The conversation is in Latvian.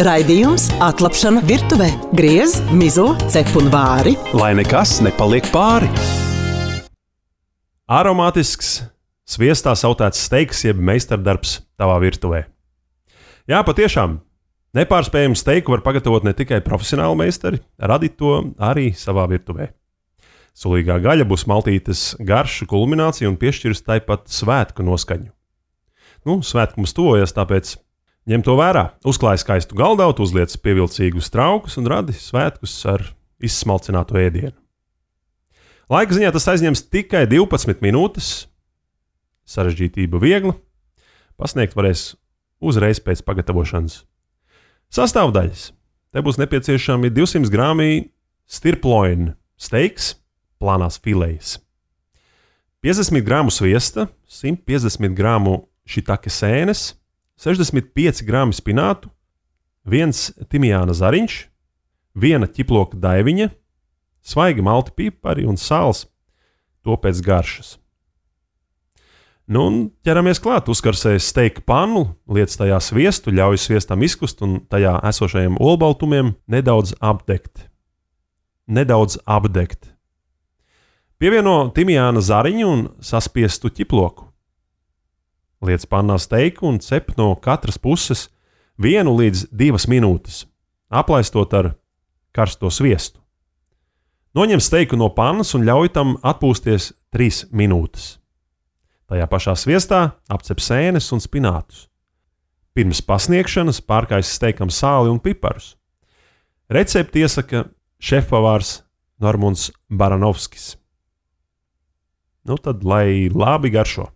Raidījums Atlapšana virtuvē. Griez, mizo, cep un vāri. Lai nekas nepaliek pāri. Aromātisks, sviestā sautēts steiks jeb meistardarbs tavā virtuvē. Jā, patiešām, nepārspējamu steiku var pagatavot ne tikai profesionāli meistari, radīt to arī savā virtuvē. Sulīgā gaļa būs maltītes garšu kulminācija un piešķirs tāpat svētku noskaņu. Svētku mums tuvojas, tāpēc ņem to vērā, uzklāj skaistu galdautu, uzliec pievilcīgus traukus un radi svētkus ar izsmalcinātu ēdienu. Laika ziņā tas aizņems tikai 12 minūtes, sarežģītība viegla, pasniegt varēs uzreiz pēc pagatavošanas. Sastāvdaļas. Te būs nepieciešami 200 grāmi stirploina steiks, plānās filejas, 50 grāmu sviesta, 150 grāmu šitake sēnes, 65 grāmi spinātu, 1 timijāna zariņš, 1 ķiploka daiviņa, svaigi malti pipari un sāls, to pēc garšas. Un ķeramies klāt, uzkarsēs steika pannu, liec tajā sviestu, ļauj sviestam izkust un tajā esošajiem olbaltumiem nedaudz apdegt. Pievieno timijāna zariņu un saspiestu ķiploku. Liec pannā steiku un cep no katras puses 1 līdz 2 minūtes, aplaistot ar karsto sviestu. Noņem steiku no pannas un ļauj tam atpūsties 3 minūtes. Tajā pašā sviestā apcep sēnes un spinātus. Pirms pasniegšanas pārkais steikam sāli un piparus. Recepti iesaka šefpavārs Normunds Baranovskis. Tad lai labi garšo!